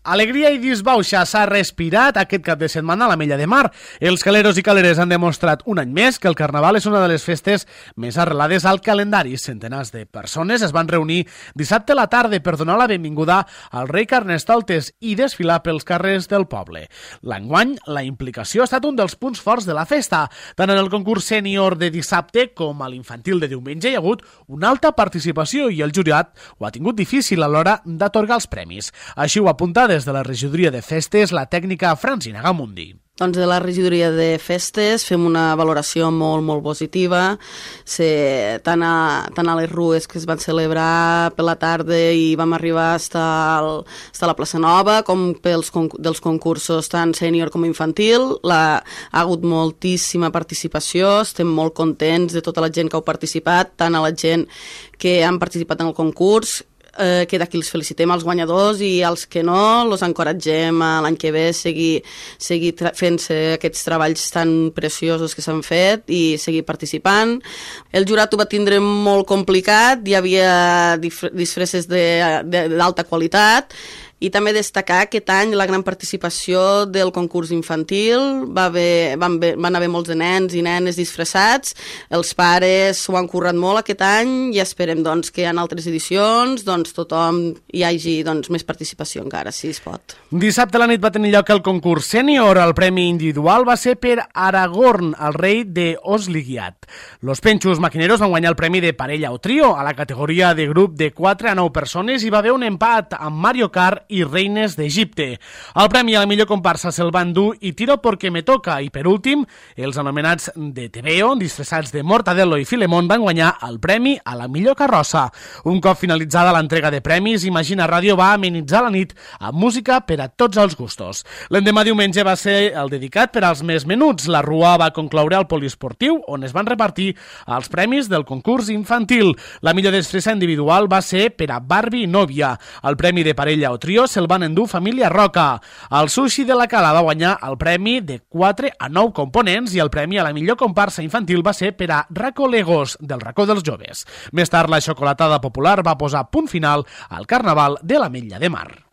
Alegria i disbauxa s'ha respirat aquest cap de setmana a l'Ametlla de Mar. Els caleros i caleres han demostrat un any més que el Carnaval és una de les festes més arrelades al calendari. Centenars de persones es van reunir dissabte a la tarda per donar la benvinguda al rei Carnestoltes i desfilar pels carrers del poble. L'enguany, la implicació ha estat un dels punts forts de la festa. Tant en el concurs sènior de dissabte com a l'infantil de diumenge hi ha hagut una alta participació i el jurat ho ha tingut difícil a l'hora d'atorgar els premis. Així ho apunta des de la regidoria de festes la tècnica Francina Gamundi. Doncs de la regidoria de festes fem una valoració molt positiva. Tant a les rues que es van celebrar per la tarda i vam arribar fins a la plaça Nova, com dels concursos tant sènior com infantil. Ha hagut moltíssima participació, estem molt contents de tota la gent que ha participat, tant a la gent que han participat en el concurs, que d'aquí els felicitem als guanyadors i als que no, els encoratgem a l'any que ve seguir fent-se aquests treballs tan preciosos que s'han fet i seguir participant. El jurat ho va tindre molt complicat, hi havia disfresses d'alta qualitat i també destacar aquest any la gran participació del concurs infantil. Van haver molts de nens i nenes disfressats, els pares s'ho han currat molt aquest any i esperem que en altres edicions tothom hi hagi més participació encara, si es pot. Dissabte a la nit va tenir lloc el concurs sènior. El premi individual va ser per Aragorn, el rei de Osligiat. Los Penxos Maquineros van guanyar el premi de parella o trio. A la categoria de grup de 4 a 9 persones hi va haver un empat amb Mario Kart i Reines d'Egipte. El premi a la millor comparsa se'l van dur i Tiro porque me toca. I per últim, els anomenats de Tebeo, disfressats de Mortadelo i Filemón, van guanyar el premi a la millor carrossa. Un cop finalitzada l'entrega de premis, Imagina Ràdio va amenitzar la nit amb música per a tots els gustos. L'endemà diumenge va ser el dedicat per als més menuts. La rua va concloure al poliesportiu, on es van repartir els premis del concurs infantil. La millor disfressa individual va ser per a Barbie Nòvia. El premi de parella o trio se'l van endur Família Roca. El Sushi de la Cala va guanyar el premi de 4 a 9 components i el premi a la millor comparsa infantil va ser per a Raco Legos, del Racó dels Joves. Més tard, la xocolatada popular va posar punt final al Carnaval de l'Ametlla de Mar.